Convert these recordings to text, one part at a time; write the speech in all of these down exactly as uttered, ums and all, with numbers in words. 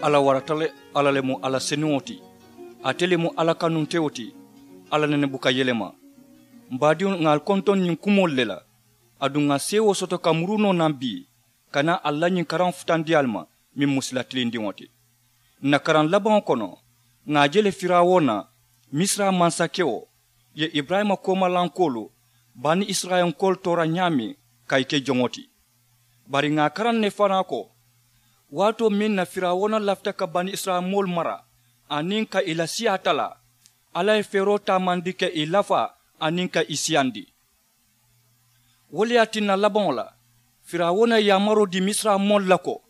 Alla warata le. Alla le mu alla senuŋo ti. Ate le mu alla kanuntewo ti. Alla nene buka yelema. M baadiŋolu, ŋà ali kontoŋ ñiŋ kumoolu le la. Aduŋ ŋà seewoo soto ka muru noo naŋ bii, ka naa alla ñiŋ karaŋo futandi ali ma, meŋ mu sila tilindiŋo ti. Ǹ na karaŋ labaŋo kono, ŋà a je le firawuna, misira mansakewo, ye iburayima koomalankoolu, bani isirayilankoolu toora ñaameŋ, ka ì ke joŋo ti. Bari ŋà a karaŋ ne fanaa ko, waatoo meŋ na firawuna lafita ka bani isirayilanmoolu mara, aniŋ ka ì la siyaa talaa, alla ye feeroo taamandi ka ì lafaa, aniŋ ka ì siyandi. Wo le ye a tinna labaŋo la, firawuna ye yaamaroo dii misirayilanmoolu la ko,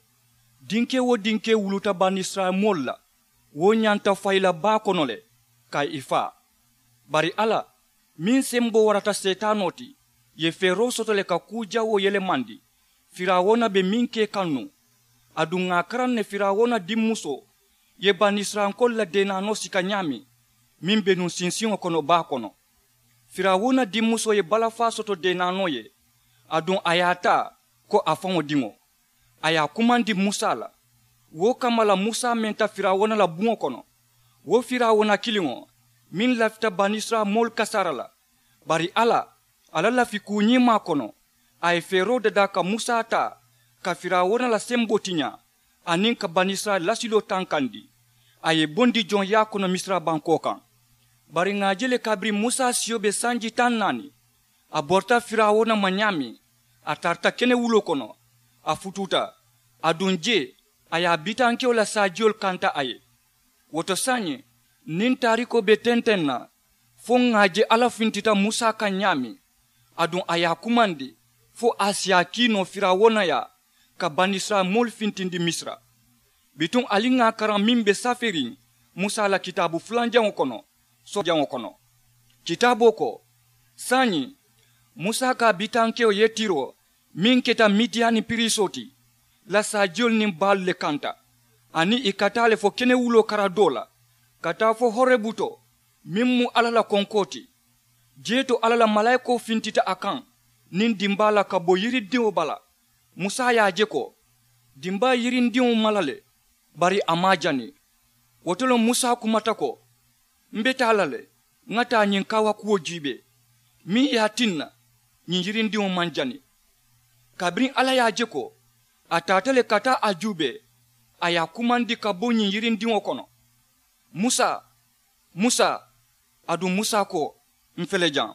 dinkee-wo-dinkee wuluta bani isirayilanmoolu la, wo ñanta fayi la baa kono le, ka ì faa. Bari alla, meŋ semboo warata seetaanoo ti, ye feeroo soto le ka kuu jawoo yelemandi. Firawuna be meŋ ke kaŋ nuŋ, aduŋ ŋà a karaŋ ne firawuna dimmusoo ye bani isirayilankoolu la deenaanoo sika ñaameŋ, meŋ be nuŋ sinsiŋo kono baa kono. Firawuna dimmusoo ye balafaa soto deenaanoo ye, aduŋ a ye a taa ko a faŋo diŋo. A ye a kumandi musa la. Wo kamma la musa menta firawuna la buŋo kono. Wo firawuna kiliŋo, meŋ lafita bani isirayilanmoolu kasaara la. Bari alla, a la lafi kuu ñiimaa kono, a ye feeroo dadaa ka musa taa, ka firawuna la semboo tiñaa, aniŋ ka bani isirayila lasiloo tankandi. A ye ì bondi joŋ yaa kono misira bankoo kaŋ. Bari ŋà a je le kabiriŋ musa siyo be sanji taŋ naani, a borita firawuna ma ñaameŋ, a tarata kenewuloo kono, a futuuta. Aduŋ jee, a ye a bitankewo la saajiyolu kanta a ye. Wo to saayiŋ, niŋ taarikoo be tenteŋ na, fo ŋà a je alla fintita musa kaŋ ñaameŋ, aduŋ a ye a kumandi, fo a si a kii noo firawuna yaa, ka bani isirayila moolu fintindi misira. Bituŋ ali ŋà a karaŋ meŋ be saferiŋ musa la kitaabu fulanjaŋo kono, soojaŋo kono. Kitaaboo ko, saayiŋ, musa ka a bitankewo yetiroo meŋ keta midiyani piriisoo ti, la saajiyolu niŋ baalu le kanta, aniŋ ì ka taa le fo kenewuloo kara doo la, ka taa fo horebu to, meŋ mu alla la konkoo ti. Jee to alla la malaayikoo fintita a kaŋ niŋ dimbaa la ka bo yirindiŋo bala. Musa ye a je ko, dimbaa ye yirindiŋo mala le, bari a maŋ a jani. Wo to le musa kumata ko, m be taa la le, ŋa taa ñiŋ kaawakuwo juubee, meŋ ye a tinna ñiŋ yirindiŋo maŋ jani. Kabiriŋ alla ye a je ko a taata le ka taa a juubee, a ye a kumandi ka bo ñiŋ yirindiŋo kono, musa, musa. Aduŋ musa ko, m fele jaŋ.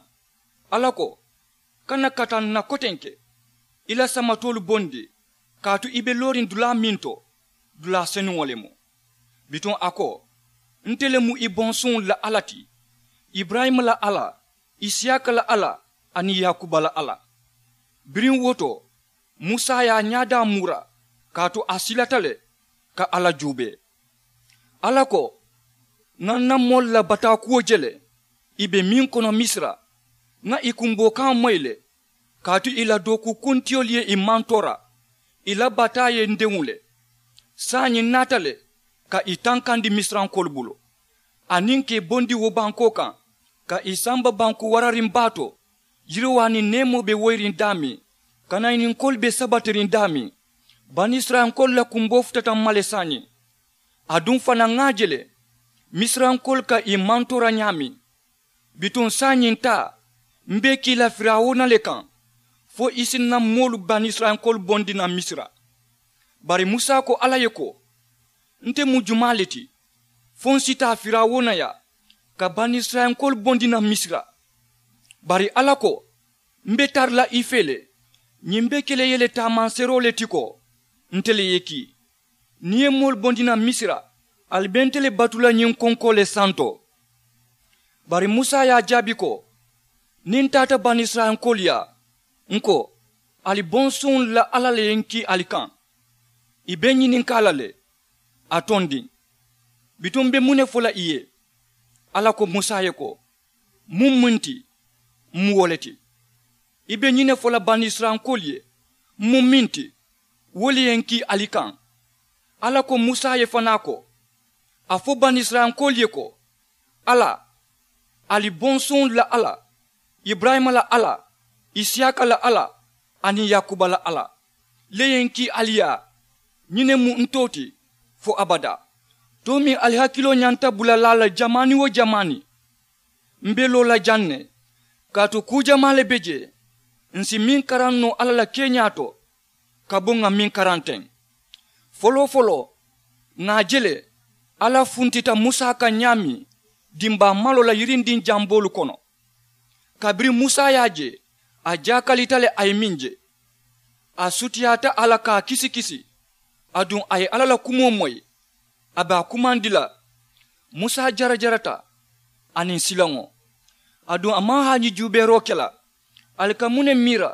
Alla ko, kana kata n na kotenke, i la samatoolu bondi, kaatu i be looriŋ dulaa meŋ to, dulaa senuŋo le mu. Bituŋ a ko, nte le mu i bonsuŋolu la alla ti, iburayima la alla, isiyaaka la alla, aniŋ yaakuba la alla. Biriŋ wo to, musa ye a ñaadaa muura, kaatu a silata le ka alla juubee. Alla ko, ŋa n na moolu la bataakuwo je le, i be meŋ kono misira, ŋa i kumboo kaŋo moyi le, kaatu i la dookukuntiyoolu ye i mantoora, i la bataa ye n deŋ le. Saayiŋ n naata le ka i tankandi misirankoolu bulu, aniŋ ka i bondi wo bankoo kaŋ, ka i samba banku warariŋ baa to, yiriwaa niŋ neemoo be woyiriŋ daameŋ, kanayininkoolu be sabatiriŋ daameŋ. Banisirayilankoolu la kumboo futata m ma le saayiŋ. Aduŋ fanaa ŋa a je le, misirankoolu ka i mantoora ñaameŋ. Bituŋ saayiŋ taa, m be i kii la firawuna le kaŋ, fo i si n na moolu banisirayilankoolu bondi naŋ misira. Bari musa ko alla ye ko, nte mu jumaa le ti, fo n si taa firawuna yaa, ka banisirayilankoolu bondi naŋ misira? Bari alla ko, m be tara la i fee le, ñiŋ be ke la i ye le taamanseeroo le ti ko, nte le ye i kii. Niŋ i ye moolu bondi naŋ misira, ali be nte le batu la ñiŋ konkoo le santo. Bari musa ye a jaabi ko, niŋ n taata banisirayilankoolu yaa, n ko, ali bonsuŋolu la alla le ye n kii ali kaŋ. I be n ñininkaa la le, a tondiŋ. Bituŋ m be muŋ ne fo la i ye? Alla ko musa ye ko, muŋ muŋ ti, m mu wo le ti. I be ñiŋ ne fo la banisirayilankoolu ye, m mu meŋ ti, wo le ye n kii ali kaŋ. Alla ko musa ye fanaa ko, a fo banisirayilankoolu ye ko, alla, ali bonsuŋolu la alla, iburayima la alla, isiyaaka la alla, aniŋ yaakuba la alla, le ye n kii ali yaa. Ñiŋ ne mu n too ti, fo abadaa. Too meŋ ali hakiloo ñanta bulalaa la jamaani-wo-jamaani, m be loo la jaŋ ne, kaatu kuu jamaa le be jee. Ǹ si meŋ karaŋ noo alla la keeñaa to ka bo ŋà meŋ karaŋ teŋ. Foloo-foloo, ŋà a je le alla funtita musa kaŋ ñaameŋ dimbaa maloo la yirindiŋ jamboolu kono. Kabiriŋ musa ye a je, a jaakalita le a ye meŋ je. A sutiyaata a la ka a kisi-kisi. Aduŋ a ye alla la kumoo moyi. A be a kumandi la. Musa jarajarata aniŋ silaŋo. Aduŋ a maŋ haaji juubeeroo ke la. Ali ka muŋ ne miira?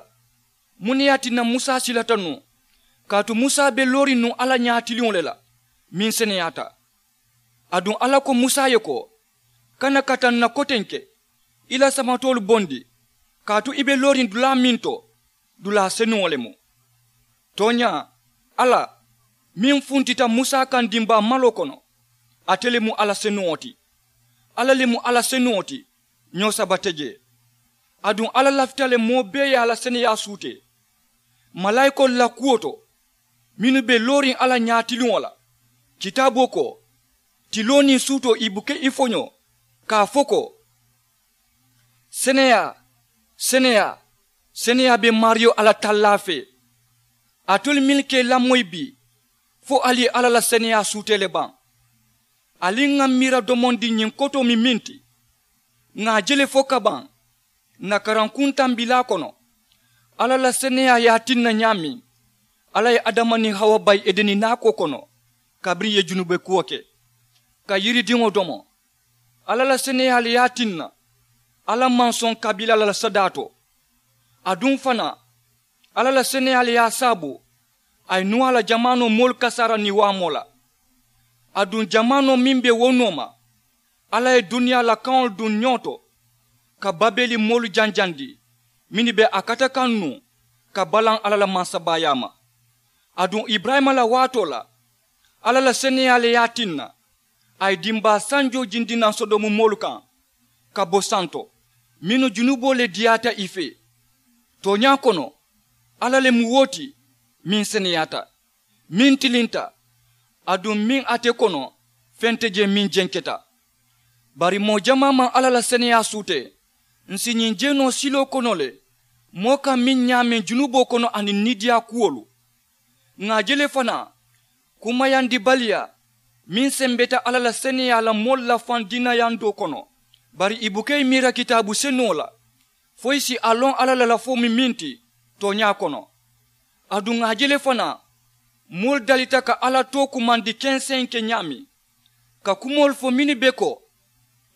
Muŋ ne ye a tinna musa silata nuŋ? Kaatu musa be looriŋ nuŋ alla ñaatiliŋo le la meŋ seneyaata. Aduŋ alla ko musa ye ko, kana kata ǹ na kotenke, i la samatoolu bondi, kaatu i be looriŋ dulaa meŋ to, dulaa senuŋo le mu. Tooñaa, alla meŋ funtita musa kaŋ dimbaa maloo kono, ate le mu alla senuŋo ti. Alla le mu alla senuŋo ti, ñoo saba te jee. Aduŋ alla lafita le moo bee ye a la seneyaa suutee malaayikoolu la kuwo to, mennu be looriŋ alla ñaatiliŋo la. Kitaaboo ko, tiloo niŋ suutoo i buka i foñoo, ka a fo ko, seneyaa, seneyaa, seneyaa be maariyo alla tallaa fee. Alitolu mennu ka i lamoyi bii, fo ali ye alla la seneyaa suutee le baŋ? Ali ŋà miira domondi ñiŋ kotoo mi meŋ ti, ŋà a je le fo kabaŋ ǹ na karankuŋ tambilaa kono. Alla la seneyaa ye a tinna ñaameŋ alla ye adama niŋ hawa bayi edeni naakoo kono, kabiriŋ ì ye junubee kuwo ke ka yiridiŋo domo. Alla la seneyaa le ye a tinna alla maŋ soŋ kabiila la la sadaa to. Aduŋ fanaa, alla la seneyaa le ye a saabu a ye nuwaa la jamaanoo moolu kasaara niŋ waamoo la. Aduŋ jamaanoo meŋ be wo nooma, alla ye duniyaa la kaŋolu duŋ ñoo to ka babeeli moolu janjandi mennu be a kata kaŋ nuŋ ka balaŋ alla la mansabaayaa ma. Aduŋ iburayima la waatoo la, alla la seneyaa le ye a tinna a ye dimbaa sanjoo jindi naŋ sodomu moolu kaŋ ka bo santo, mennu junuboo le diyaata i fee. Tooñaa kono, alla le mu wo ti meŋ seneyaata, meŋ tilinta, aduŋ meŋ ate kono feŋ te jee meŋ jenketa. Bari moo jamaa maŋ alla la seneyaa suutee. Ǹ si ñiŋ jeenoo siloo kono le moo kaŋ meŋ ñaameŋ junuboo kono aniŋ niidiyaa kuwolu. Ŋà a je le fanaa, kumayandibaliyaa meŋ sembeta alla la seneyaa la moolu la faŋ diinayandoo kono. Bari ì buka ì miira kitaabu senuŋo la fo ì si a loŋ alla la lafoo mu meŋ ti tooñaa kono. Aduŋ ŋà a je le fanaa, moolu dalita ka alla too kumandi kenseŋ ke ñaameŋ, ka kumoolu fo mennu be ko,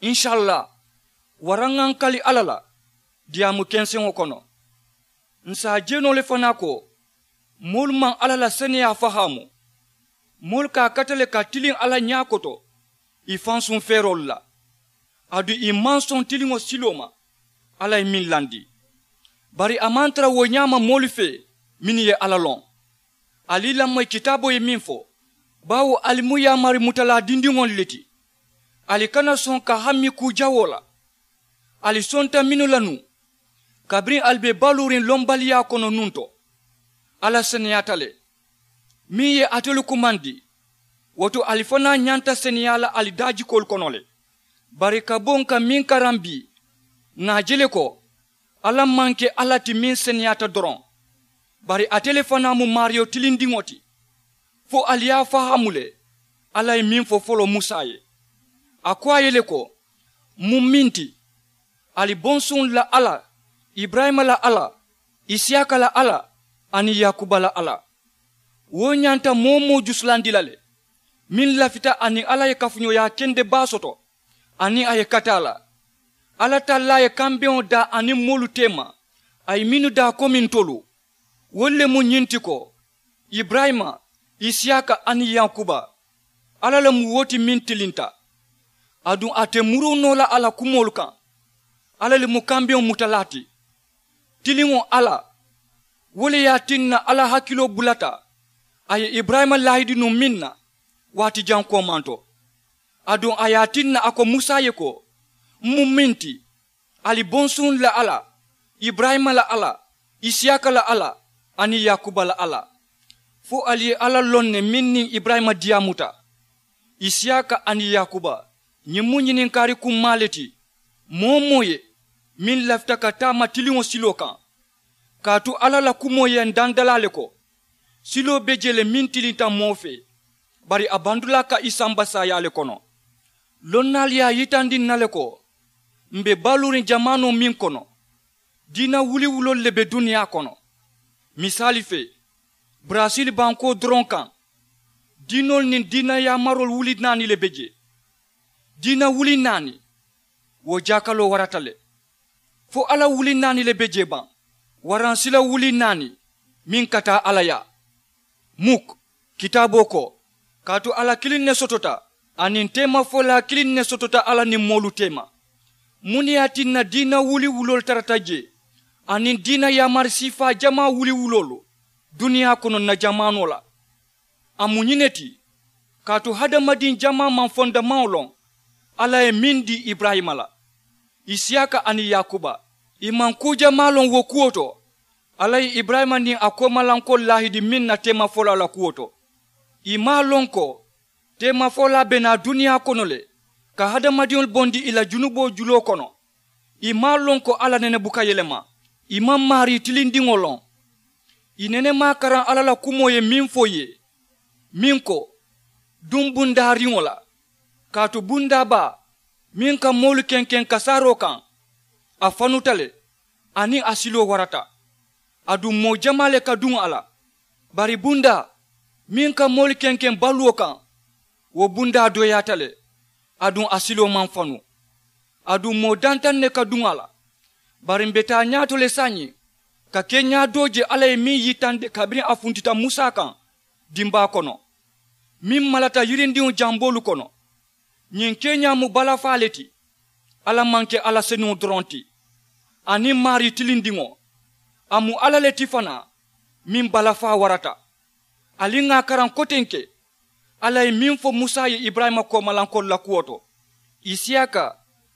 insalla, waraŋ ŋà ǹ kali alla la diyaamu kenseŋo kono. Ǹ si a je noo le fanaa ko, moolu maŋ alla la seneyaa fahaamu. Moolu ka a kata le ka tiliŋ alla ñaa koto ì fansuŋ feeroolu la. Aduŋ ì maŋ soŋ tiliŋo siloo ma alla ye meŋ landi. Bari a maŋ tara wo ñaama moolu fee mennu ye alla loŋ. Ali i lamoyi kitaaboo ye meŋ fo, baawo ali mu yaamari mutalaa dindiŋolu le ti. Ali kana soŋ ka hammi kuu jawoo la. Ali sonta mennu la nuŋ, kabiriŋ ali be baluuriŋ lombaliyaa kono nuŋ to, alla seneyaata le meŋ ye alitolu kumandi. Wo to ali fanaa ñanta seneyaa la ali daajikoolu kono le. Bari ka bo ǹ ka meŋ karaŋ bii, ŋà a je le ko, alla maŋ ke alla ti meŋ seneyaata doroŋ, bari ate le fanaa mu maariyo tilindiŋo ti. Fo ali ye a fahaamu le alla ye meŋ fo foloo musa ye. A ko a ye le ko, muŋ meŋ ti, ali bonsuŋolu la alla, iburayima la alla, isiyaaka la alla, aniŋ yaakuba la alla. Wo ñanta moo-wo-moo jusulandi la le meŋ lafita aniŋ alla ye kafuñooyaa kende baa soto, aniŋ a ye kata a la. Alla tallaa ye kambeŋo daa aniŋ moolu teema, a ye mennu daa komi ntolu. Wolu le mu ñiŋ ti ko, iburayima, isiyaaka aniŋ yaakuba, alla le mu wo ti meŋ tilinta. Aduŋ ate muruu noo la a la kumoolu kaŋ. Alla le mu kambeŋo mutalaa ti. Tiliŋo alla, wo le ye a tinna alla hakiloo bulata a ye iburayima laahidi nuŋ meŋ na, waati jaŋ koomanto. Aduŋ a ye a tinna a ko musa ye ko, m mu meŋ ti, ali bonsuŋolu la alla, iburayima la alla, isiyaaka la alla, aniŋ yaakuba la alla. Fo ali ye alla loŋ ne meŋ niŋ iburayima diyaamuta. Isiyaaka aniŋ yaakuba, ñiŋ mu ñininkaari kummaa le ti. Moo-wo-moo ye meŋ lafita ka taama tiliŋo siloo kaŋ, kaatu alla la kumoo ye ndandalaa le ko, siloo be jee le meŋ tilinta moo fee, bari a bandulaa ka i samba saayaa le kono. Lonnaalu ye a yitandi ǹ na le ko, m̀ be baluuriŋ jamaanoo meŋ kono, diina wuliwuloolu le be duniyaa kono. Misaali fee, barasili bankoo doroŋ kaŋ, diinoolu niŋ diina yaamaroolu wuli naani le be jee. Diina wuli naani, wo jaakaloo warata le. Fo alla wuli naani le be jee baŋ, waraŋ sila wuli naani meŋ ka taa alla yaa. Muk, kitaaboo ko, kaatu alla kiliŋ ne sotota, aniŋ teemafolaa kiliŋ ne sotota alla niŋ moolu teema. Muŋ ne ye a tinna diina wuliwuloolu tarata jee, aniŋ diina yaamari siifaa jamaa wuliwuloolu duniyaa kono ǹ na jamaanoo la? A mu ñiŋ ne ti, kaatu hadamadiŋ jamaa maŋ fondamaŋo loŋ alla ye meŋ dii iburayima la, isiyaaka aniŋ yaakuba. Ì maŋ kuu jamaa loŋ wo kuwo to, alla ye iburayima niŋ a koomalankoolu laahidi meŋ na teemafolaa la kuwo to. Ì maŋ a loŋ ko teemafolaa be naa duniyaa kono le ka hadamadiŋolu bondi ì la junuboo juloo kono. Ì maŋ a loŋ ko alla nene buka yelema. Ì maŋ maarii tilindiŋo loŋ. Ì nene maŋ a karaŋ alla la kumoo ye meŋ fo ì ye, meŋ ko, duŋ bundaariŋo la, kaatu bundaa baa meŋ ka moolu kenkeŋ kasaaroo kaŋ, a fanuta le, aniŋ a siloo warata. Aduŋ moo jamaa le ka duŋ a la. Bari bundaa meŋ ka moolu kenkeŋ baluwo kaŋ, wo bundaa dooyaata le, aduŋ a siloo maŋ fanu. Aduŋ moo dantaŋ ne ka duŋ a la. Bari m̀ be taa ñaato le saayiŋ ka keeñaa doo je alla ye meŋ yitandi kabiriŋ a funtita musa kaŋ dimbaa kono, meŋ malata yirindiŋo jamboolu kono. Ñiŋ keeñaa mu balafaa le ti. Alla maŋ ke alla senuŋo doroŋ ti, aniŋ maarii tilindiŋo. A mu alla le ti fanaa meŋ balafaa warata. Ali ŋà a karaŋ kotenke, alla ye meŋ fo musa ye iburayima koomalankoolu la kuwo to, isiyaaka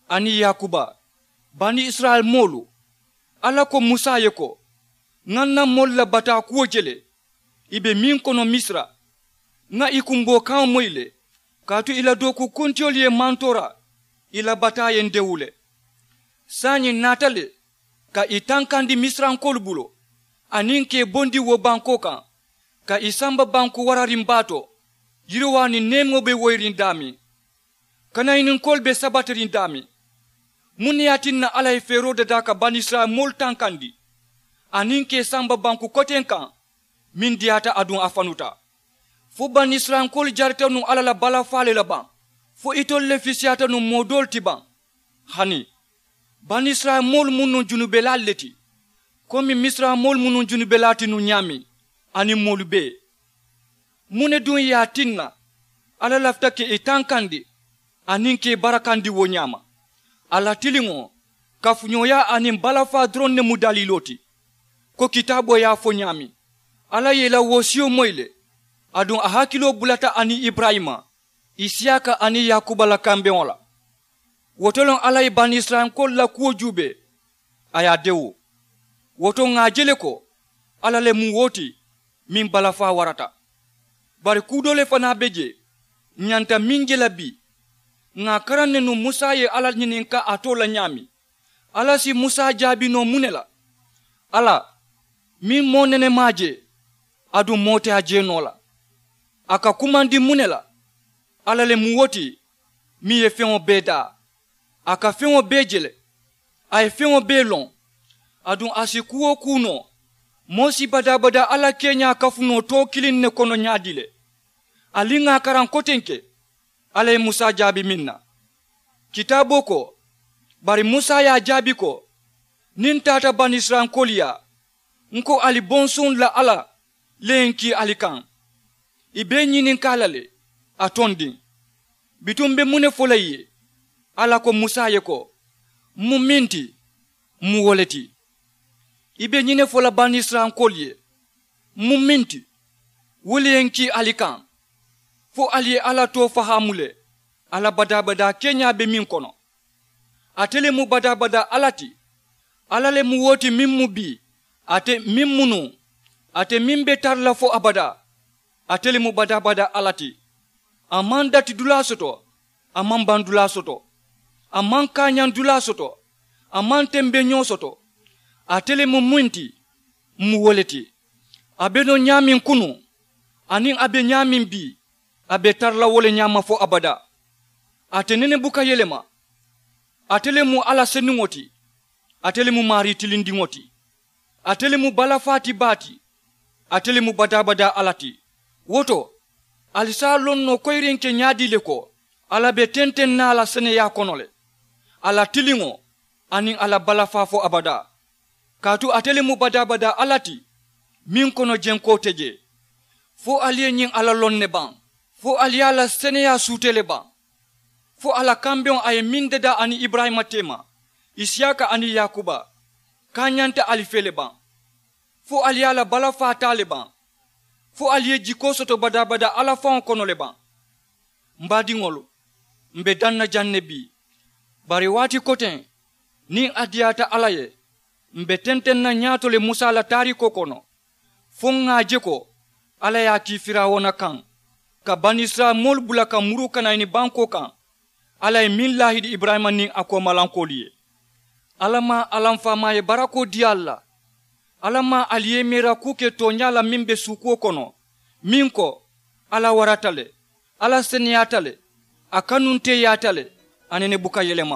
aniŋ yaakuba, bani isirayila moolu. Alla ko musa ye ko, ŋà ǹ na moolu la bataa kuwo je le, ì be meŋ kono misira. Ŋà ì kumboo kaŋo moyi le, kaatu ì la dookukuntiyoolu ye mantoora, ì la bataa ye ǹ dewu le. Saayiŋ ǹ naata le ka ì tankandi misirankoolu bulu, aniŋ ka ì bondi wo bankoo kaŋ, ka ì samba banku warariŋ baa to, yiriwaa niŋ neemoo be woyiriŋ daameŋ, kanayininkoolu be sabatiriŋ daameŋ. Muŋ ne ye a tinna alla ye feeroo dadaa ka banisirayila moolu tankandi, aniŋ ka ì samba banku koteŋ kaŋ meŋ diyaata aduŋ a fanuta? Fo banisirayilankoolu jarita nuŋ alla la balafaa le la baŋ? Fo itolu le fisiyaata nuŋ moo doolu ti baŋ? Hani, banisirayila moolu mu nuŋ junubelaalu le ti, komi misira moolu mu nuŋ junubelaa ti nuŋ ñaameŋ, aniŋ moolu bee. Muŋ ne duŋ ye a tinna alla lafita ka ì tankandi aniŋ ka ì barakandi wo ñaama? Alla tiliŋo, kafuñooyaa aniŋ balafaa doroŋ ne mu daliiloo ti, ko kitaaboo ye a fo ñaameŋ. Alla ye ì la wosiyo moyi le, aduŋ a hakiloo bulata aniŋ iburayima, isiyaaka aniŋ yaakuba la kambeŋo la. Wo to loŋ alla ye banisirayilankoolu la kuwo juubee, a ye a dewu. Wo to ŋà a je le ko alla le mu wo ti meŋ balafaa warata. Bari kuu doo le fanaa be jee ǹ ñanta meŋ je la bii. Ŋà a karaŋ ne nuŋ musa ye alla ñininkaa a too la ñaameŋ. Alla si musa jaabi noo muŋ ne la? Alla, meŋ moo nene maŋ a je, aduŋ moo te a je noo la, a ka kumandi muŋ ne la? Alla le mu wo ti meŋ ye feŋo bee daa. A ka feŋo bee je le, a ye feŋo bee loŋ. Aduŋ a si kuu-wo-kuu noo, moo si badaa-badaa alla keeñaa kafu noo too kiliŋ ne kono ñaadii le? Ali ŋà a karaŋ kotenke alla ye musa jaabi meŋ na. Kitaaboo ko, bari musa ye a jaabi ko, niŋ n taata banisirayilankoolu yaa, n ko ali bonsuŋolu la alla le ye n kii ali kaŋ. Ì be ǹ ñininkaa la le, a tondiŋ. Bituŋ m be muŋ ne fo la ì ye? Alla ko musa ye ko, m mu meŋ ti, m mu wo le ti. Ì be ñiŋ ne fo la banisirayilankoolu ye, m mu meŋ ti, wo le ye n kii ali kaŋ, fo ali ye alla too fahaamu le, alla badaa-badaa keeñaa be meŋ kono. Ate le mu badaa-badaa alla ti. Alla le mu wo ti meŋ mu bii, ate meŋ mu nuŋ, ate meŋ be tara la fo abadaa. Ate le mu badaa-badaa alla ti. A maŋ dati dulaa soto. A maŋ baŋ dulaa soto. A maŋ kaañaŋ dulaa soto. A maŋ tembeñoo soto. Ate le mu muŋ ti, m mu wo le ti. A be noo ñaameŋ kunuŋ, aniŋ a be ñaameŋ bii, a be tara la wo le ñaama fo abadaa. Ate nene buka yelema. Ate le mu alla seniŋo ti. Ate le mu maarii tilindiŋo ti. Ate le mu balafaa ti baa ti. Ate le mu badaa-badaa alla ti. Wo to, ali si a loŋ noo koyirinke ñaadii le ko, alla be tenteŋ na a la seneyaa kono le, a la tiliŋo, aniŋ a la balafaa fo abadaa. Kaatu ate le mu badaa-badaa alla ti, meŋ kono jenkoo te jee. Fo ali ye ñiŋ alla loŋ ne baŋ? Fo ali ye a la seneyaa suutee le baŋ? Fo a la kambeŋo a ye meŋ dadaa aniŋ iburayima teema, isiyaaka aniŋ yaakuba, kaañanta ali fee le baŋ? Fo ali ye a la balafaa taa le baŋ? Fo ali ye jikoo soto badaa-badaa alla faŋo kono le baŋ? M baadiŋolu, m be daŋ na jaŋ ne bii. Bari waati koteŋ, niŋ a diyaata alla ye, m be tenteŋ na ñaato le musa la taariikoo kono, fo ŋà a je ko alla ye a kii firawuna kaŋ, ka banisirayila moolu bula ka muruu kanayini bankoo kaŋ. Alla ye meŋ laahidi iburayima niŋ a koomalankoolu ye. Alla maŋ alla m faamaa ye barakoo dii ali la. Alla maŋ ali ye meera kuu ke tooñaa la meŋ be suukuwo kono, meŋ ko, alla warata le, alla seneyaata le, a kanunteeyaata le, a nene buka yelema.